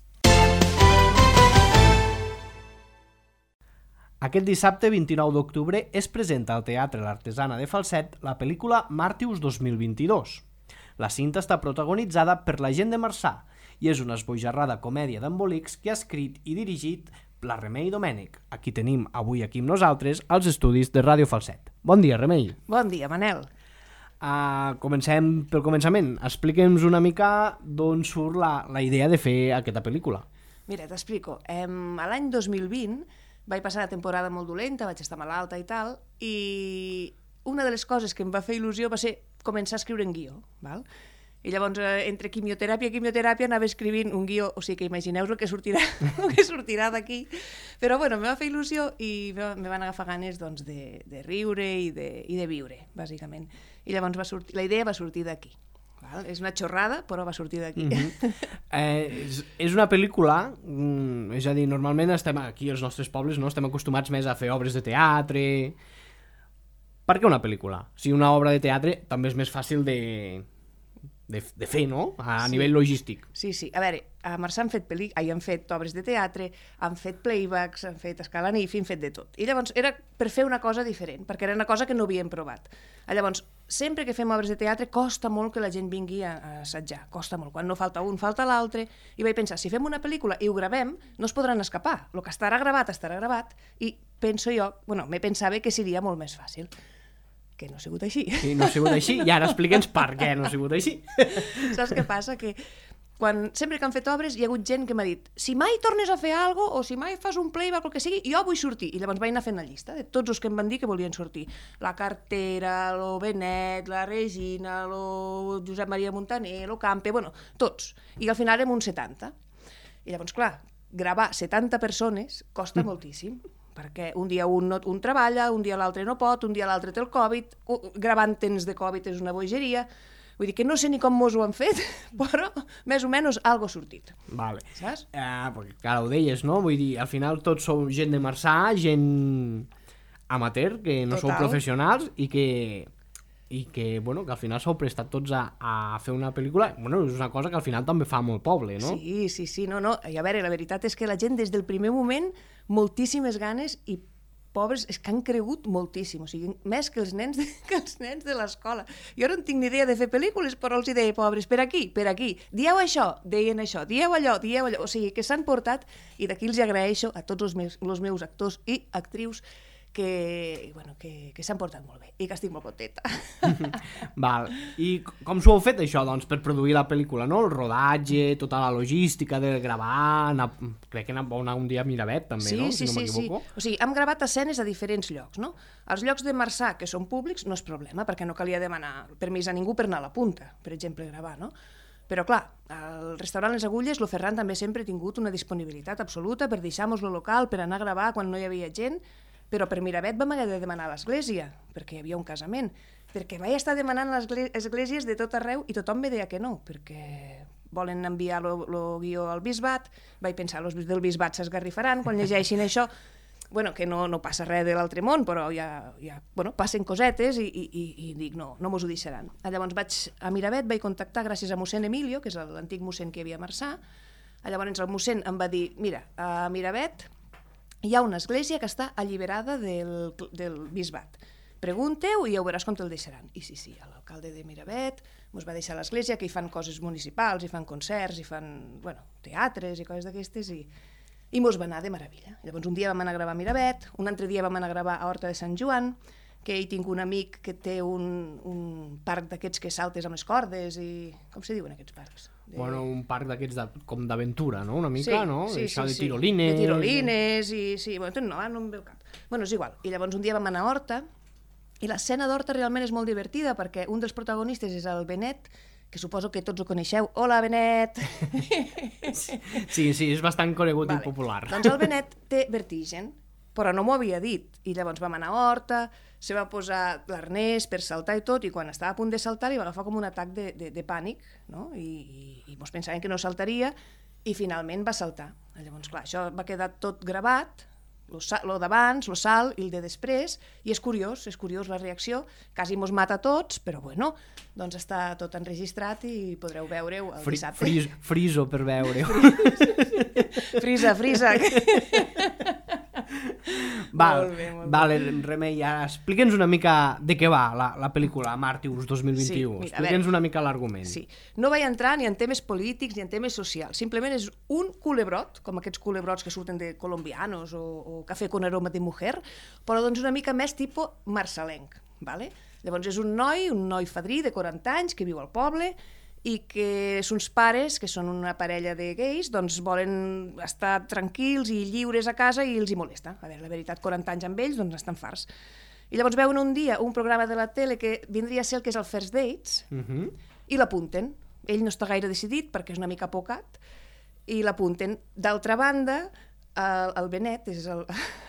Aquest dissabte vint-i-nou d'octubre es presenta al Teatre l'Artesana de Falset la pel·lícula Màrtius dos mil vint-i-dos. La cinta està protagonitzada per la gent de Marçà i és una esbojarrada comèdia d'embolics que ha escrit i dirigit la Remei Domènech. Aquí tenim avui aquí amb nosaltres als estudis de Ràdio Falset. Bon dia, Remei. Bon dia, Manel. Uh, comencem pel començament. Explica'ns una mica d'on surt la, la idea de fer aquesta pel·lícula. Mira, t'explico. Eh, l'any dos mil vint vaig passar una temporada molt dolenta, vaig estar malalta i tal, i una de les coses que em va fer il·lusió va ser començar a escriure en guió, val? I llavors, entre quimioteràpia i quimioteràpia, anava escrivint un guió, o sigui que imagineu el que sortirà, el que sortirà d'aquí. Però bueno, em va fer il·lusió i me van agafar ganes doncs, de, de riure i de, i de viure, bàsicament. I llavors va sortir, la idea va sortir d'aquí. Val? És una xorrada, però va sortir d'aquí. Mm-hmm. eh, és, és una pel·lícula, mm, és a dir, normalment estem aquí als nostres pobles, no? Estem acostumats més a fer obres de teatre. Per què una pel·lícula? Si una obra de teatre també és més fàcil de, de, de fer, no? A sí. nivell logístic. Sí, sí. A veure, a Marçà han fet, pel·li... Ai, han fet obres de teatre, han fet playbacks, han fet escalanif, han fet de tot. I llavors era per fer una cosa diferent, perquè era una cosa que no havíem provat. Llavors, sempre que fem obres de teatre costa molt que la gent vingui a, a assajar, costa molt. Quan no falta un, falta l'altre. I vaig pensar, si fem una pel·lícula i ho gravem, no es podran escapar. El que estarà gravat, estarà gravat. I penso jo, bueno, me pensava que seria molt més fàcil. Que no ha sigut així. Sí, no ha sigut així, i ara explica'ns per què no ha sigut així. Saps què passa? Que quan, sempre que han fet obres hi ha hagut gent que m'ha dit si mai tornes a fer alguna cosa o si mai fas un playback o el que sigui, jo vull sortir. I llavors vaig anar fent la llista de tots els que em van dir que volien sortir. La Cartera, lo Benet, la Regina, lo Josep Maria Montaner, lo Campe, bueno, tots. I al final érem uns setanta. I llavors, clar, gravar setanta persones costa mm. moltíssim. Perquè un dia un, no, un treballa, un dia l'altre no pot, un dia l'altre té el Covid, gravant temps de Covid és una bogeria. Vull dir que no sé ni com mos ho han fet, però més o menys algo ha sortit. Vale. Saps? Eh, perquè, clar, ho deies, no? Vull dir, al final tots sou gent de Marçà, gent amateur, que no Total. sou professionals i que, i que, bueno, que al final s'heu prestat tots a, a fer una pel·lícula. Bueno, és una cosa que al final també fa molt poble, no? Sí, sí, sí, no, no. I a veure, la veritat és que la gent des del primer moment moltíssimes ganes i pobres és que han cregut moltíssim, o sigui, més que els nens de, que els nens de l'escola. Jo no en tinc ni idea de fer pel·lícules, però els hi deia, pobres, per aquí, per aquí, dieu això, deien això, dieu allò, dieu allò, o sigui, que s'han portat, i d'aquí els agraeixo a tots els meus, els meus actors i actrius que, bueno, que, que s'han portat molt bé i que estic molt contenta. Val. I com s'ho heu fet, això, doncs, per produir la pel·lícula, no? El rodatge, tota la logística de gravar, anar, crec que anava anar un dia a Miravet, també, sí, no? Sí, si no sí, m'equivoco. sí. O sigui, hem gravat escenes a diferents llocs, no? Els llocs de Marçà, que són públics, no és problema, perquè no calia demanar permís a ningú per anar a la punta, per exemple, gravar, no? Però, clar, el restaurant Les Agulles, lo Ferran també sempre ha tingut una disponibilitat absoluta per deixar-nos lo local, per anar a gravar quan no hi havia gent. però per Miravet vam haver de demanar a l'església, perquè hi havia un casament, perquè vaig estar demanant a les esglésies de tot arreu i tothom me deia que no, perquè volen enviar el guió al bisbat, vaig pensar, els del bisbat s'esgarrifaran quan llegeixin això, bueno, que no, no passa res de l'altre món, però ja, ja bueno, passen cosetes i, i, i dic, no, no mos ho deixaran. Llavors vaig a Miravet, vaig contactar gràcies a mossèn Emilio, que és l'antic mossèn que hi havia a Marçà. Llavors el mossèn em va dir, mira, a Miravet hi ha una església que està alliberada del, del bisbat. Pregunteu i ja ho veuràs com te'l deixaran. I sí, sí, l'alcalde de Miravet mos va deixar a l'església, que hi fan coses municipals, hi fan concerts, hi fan, bueno, teatres i coses d'aquestes, i... i mos va anar de meravella. Llavors un dia vam anar a gravar a Miravet, un altre dia vam anar a gravar a Horta de Sant Joan, que hi tinc un amic que té un, un parc d'aquests que saltes amb les cordes i... com se diuen aquests parcs? De... Bueno, un parc d'aquests de, com d'aventura, no? Una mica, sí, no? Sí, Això sí, de tirolines... De tirolines i... sí, bueno, no, no em ve el cap. Bueno, és igual. I llavors un dia vam anar a Horta i l'escena d'Horta realment és molt divertida perquè un dels protagonistes és el Benet, que suposo que tots ho coneixeu. Hola, Benet! Sí, sí, és bastant conegut vale. I popular. Doncs el Benet té vertigen, però no m'ho havia dit. I llavors vam anar a Horta, se va posar l'arnès per saltar i tot, i quan estava a punt de saltar li va agafar com un atac de, de, de pànic, no? I, i, i mos pensaven que no saltaria, i finalment va saltar. Llavors, clar, això va quedar tot gravat, lo d'abans, lo salt i el de després, i és curiós, és curiós la reacció, quasi mos mata a tots, però bueno, doncs està tot enregistrat i podreu veure-ho el dissabte. Fris, friso per veure-ho. Frisa, frisa. Val, molt bé, molt vale, Remei, ara explica'ns una mica de què va la, la pel·lícula Màrtirs dos mil vint-i-u. Sí, explica'ns una mica l'argument. Sí. No vaig entrar ni en temes polítics ni en temes socials, simplement és un culebrot, com aquests culebrots que surten de colombianos o, o cafè con aroma de mujer, però doncs una mica més tipus marçalenc. Vale? Llavors és un noi, un noi fadrí de quaranta anys que viu al poble i que uns pares, que són una parella de gais, doncs volen estar tranquils i lliures a casa i els hi molesta. A veure, la veritat, quaranta anys amb ells, doncs estan farts. I llavors veuen un dia un programa de la tele que vindria a ser el que és el First Dates, uh-huh. i l'apunten. Ell no està gaire decidit perquè és una mica pocat, i l'apunten. D'altra banda, el, el Benet és el,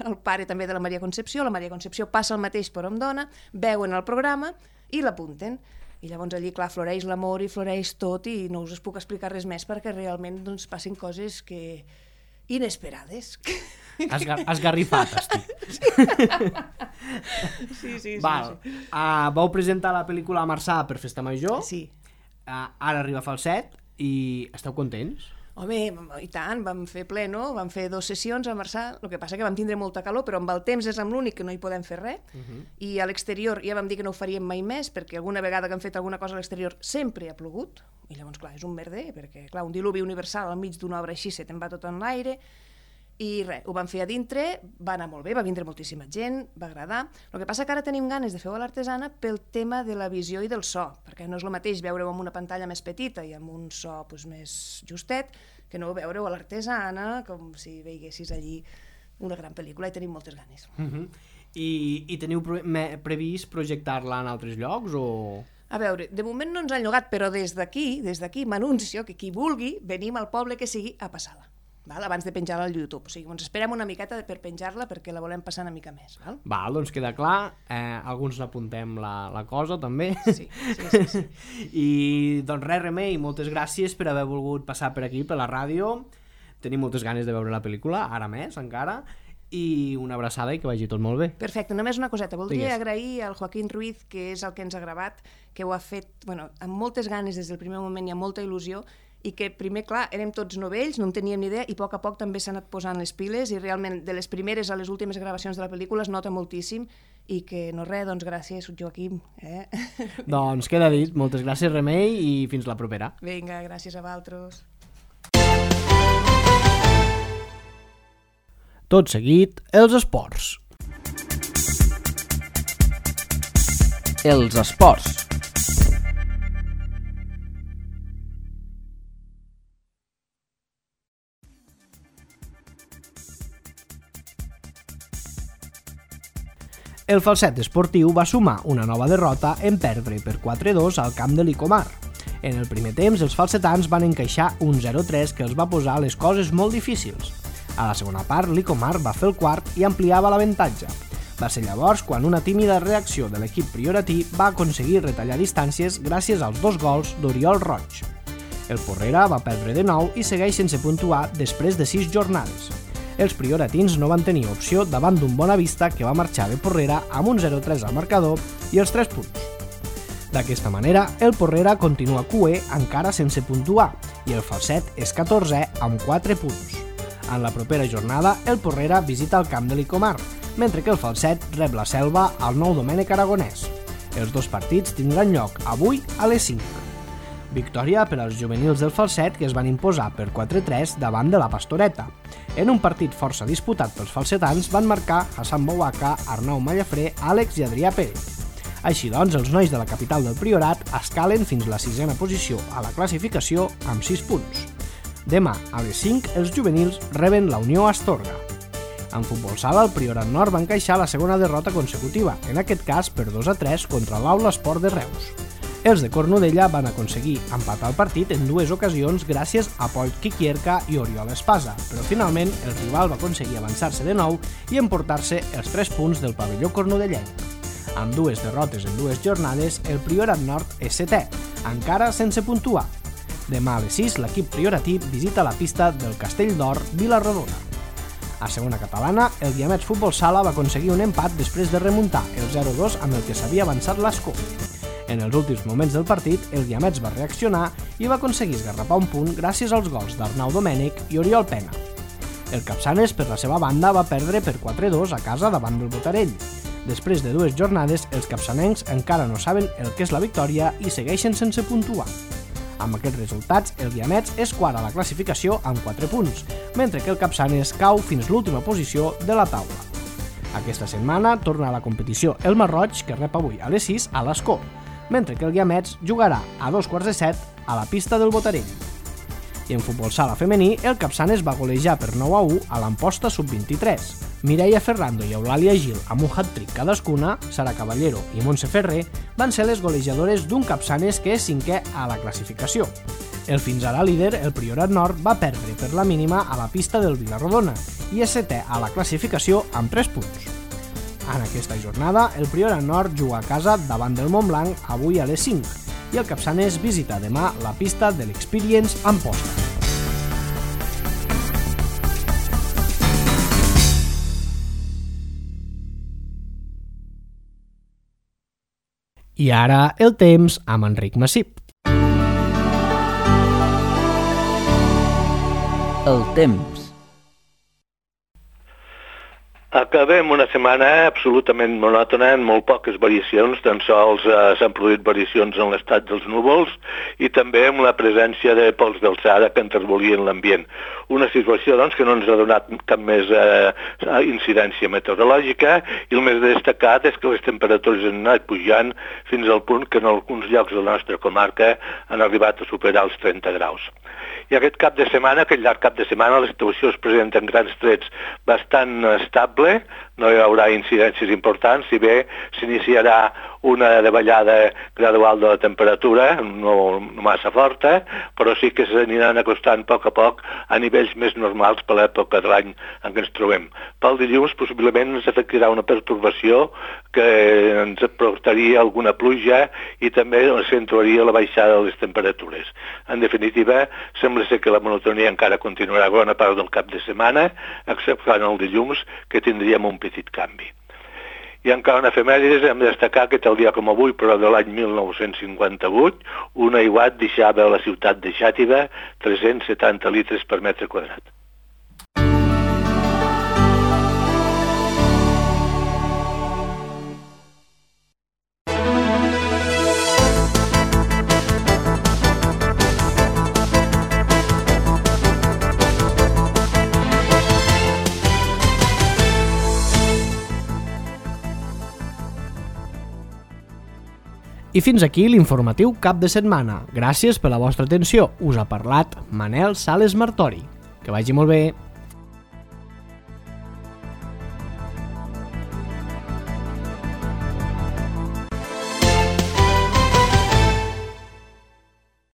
el pare també de la Maria Concepció, la Maria Concepció passa el mateix per on dona, veuen el programa i l'apunten. I llavors allí, clar, floreix l'amor i floreix tot i no us puc explicar res més perquè realment doncs, passin coses que... inesperades. Esgar esgarrifat, estic. Sí, sí, sí. Val. sí. Uh, vau presentar la pel·lícula a Marçà per Festa Major. Sí. Uh, ara arriba Falset i esteu contents? Home, i tant, vam fer pleno, vam fer dues sessions a Marçà, el que passa que vam tindre molta calor, però amb el temps és amb l'únic que no hi podem fer res, uh-huh. i a l'exterior ja vam dir que no ho faríem mai més, perquè alguna vegada que hem fet alguna cosa a l'exterior sempre ha plogut, i llavors, clar, és un merder, perquè, clar, un diluvi universal al mig d'una obra així se te'n va tot en l'aire, i res, ho vam fer a dintre, va anar molt bé, va vindre moltíssima gent, va agradar. El que passa que ara tenim ganes de fer-ho a l'Artesana pel tema de la visió i del so, perquè no és el mateix veure-ho amb una pantalla més petita i amb un so pues, més justet, que no veure-ho a l'Artesana, com si veiessis allí una gran pel·lícula, i tenim moltes ganes. Uh-huh. I, I teniu pre previst projectar-la en altres llocs o...? A veure, de moment no ens han llogat, però des d'aquí, des d'aquí m'anuncio que qui vulgui venim al poble que sigui a passar-la. Val? Abans de penjar-la al YouTube. O sigui, ens esperem una miqueta per penjar-la perquè la volem passar una mica més. Val, val doncs queda clar. Eh, alguns n'apuntem la, la cosa, també. Sí, sí, sí, sí. I doncs res, Remei, moltes gràcies per haver volgut passar per aquí, per la ràdio. Tenim moltes ganes de veure la pel·lícula, ara més, encara. I una abraçada i que vagi tot molt bé. Perfecte, només una coseta. Voldria Digues. agrair al Joaquín Ruiz, que és el que ens ha gravat, que ho ha fet bueno, amb moltes ganes des del primer moment i amb molta il·lusió, i que primer, clar, érem tots novells, no en teníem ni idea, i a poc a poc també s'han anat posant les piles, i realment de les primeres a les últimes gravacions de la pel·lícula es nota moltíssim, i que no res, doncs gràcies, Joaquim. Eh? Doncs queda dit, moltes gràcies, Remei, i fins la propera. Vinga, gràcies a vosaltres. Tot seguit, els esports. Els esports. El Falset esportiu va sumar una nova derrota en perdre per quatre a dos al camp de l'Icomar. En el primer temps, els falsetans van encaixar un zero tres que els va posar les coses molt difícils. A la segona part, l'Icomar va fer el quart i ampliava l'avantatge. Va ser llavors quan una tímida reacció de l'equip prioratí va aconseguir retallar distàncies gràcies als dos gols d'Oriol Roig. El Porrera va perdre de nou i segueix sense puntuar després de sis jornades. Els prioratins no van tenir opció davant d'un Bonavista que va marxar de Porrera amb un zero tres al marcador i els tres punts. D'aquesta manera, el Porrera continua cuer encara sense puntuar i el Falset és catorzè amb quatre punts. En la propera jornada, el Porrera visita el camp de l'Icomar, mentre que el Falset rep la Selva al Nou Domènec Aragonès. Els dos partits tindran lloc avui a les cinc. Victòria per als juvenils del Falset que es van imposar per quatre tres davant de la Pastoreta. En un partit força disputat pels falsetans van marcar Hassan Bouaka, Arnau Mallafré, Àlex i Adrià Pérez. Així doncs, els nois de la capital del Priorat escalen fins la sisena posició a la classificació amb sis punts. Demà, a les cinc, els juvenils reben la Unió Astorga. En futbol sala, el Priorat Nord va encaixar la segona derrota consecutiva, en aquest cas per dos a tres contra l'Aula Esport de Reus. Els de Cornudella van aconseguir empatar el partit en dues ocasions gràcies a Pol Kikierka i Oriol Espasa, però finalment el rival va aconseguir avançar-se de nou i emportar-se els tres punts del pavelló cornudellenc. Amb dues derrotes en dues jornades, el Priorat Nord és setè, encara sense puntuar. Demà a les sis, l'equip prioratí visita la pista del Castell d'Or Vila-rodona. A segona catalana, el Guiamets Futbol Sala va aconseguir un empat després de remuntar el zero dos amb el que s'havia avançat l'Escó. En els últims moments del partit, el Guiamets va reaccionar i va aconseguir esgarrapar un punt gràcies als gols d'Arnau Domènech i Oriol Pena. El Capçanes, per la seva banda, va perdre per quatre dos a casa davant del Botarell. Després de dues jornades, els capçanencs encara no saben el que és la victòria i segueixen sense puntuar. Amb aquests resultats, el Guiamets és quart a la classificació amb quatre punts, mentre que el Capçanes cau fins l'última posició de la taula. Aquesta setmana torna a la competició el Marroig, que rep avui a les sis a l'Escó, mentre que el Guiamets jugarà a dos quarts de set a la pista del Botarell. I en futbol sala femení, el Capçanes va golejar per nou a u a l'Amposta sub vint-i-tres. Mireia Ferrando i Eulàlia Gil, amb un hat-trick cadascuna, Sara Caballero i Montse Ferrer, van ser les golejadores d'un Capçanes que és cinquè a la classificació. El fins ara líder, el Priorat Nord, va perdre per la mínima a la pista del Vila-rodona i és setè a la classificació amb tres punts. En aquesta jornada, el Priorat Nord juga a casa davant del Montblanc avui a les cinc i el Capçanes visita demà la pista de l'Experience Amposta. I ara el temps amb Enric Massip. El temps. Acabem una setmana absolutament monòtona, amb molt poques variacions, tan sols eh, s'han produït variacions en l'estat dels núvols i també amb la presència de pols d'alçada que enterbolien l'ambient. Una situació doncs, que no ens ha donat cap més eh, incidència meteorològica i el més destacat és que les temperatures han anat pujant fins al punt que en alguns llocs de la nostra comarca han arribat a superar els trenta graus. I aquest cap de setmana, aquest llarg cap de setmana, la situació es presenta en grans trets bastant estable, no hi haurà incidències importants, si bé s'iniciarà una davallada gradual de la temperatura, no, no massa forta, però sí que s'aniran acostant a poc a poc a nivells més normals per l'època de l'any en què ens trobem. Pel dilluns possiblement ens afectarà una pertorbació que ens aportaria alguna pluja i també accentuaria la baixada de les temperatures. En definitiva, sembla ser que la monotonia encara continuarà bona part del cap de setmana, excepte el dilluns, que tindríem un petit canvi. I encara una efemèrides, hem de destacar que tal dia com avui, però de l'any mil nou-cents cinquanta-vuit, un aiguat deixava a la ciutat de Xàtiva tres-cents setanta litres per metre quadrat. I fins aquí l'informatiu cap de setmana. Gràcies per la vostra atenció. Us ha parlat Manel Sales Martori. Que vagi molt bé.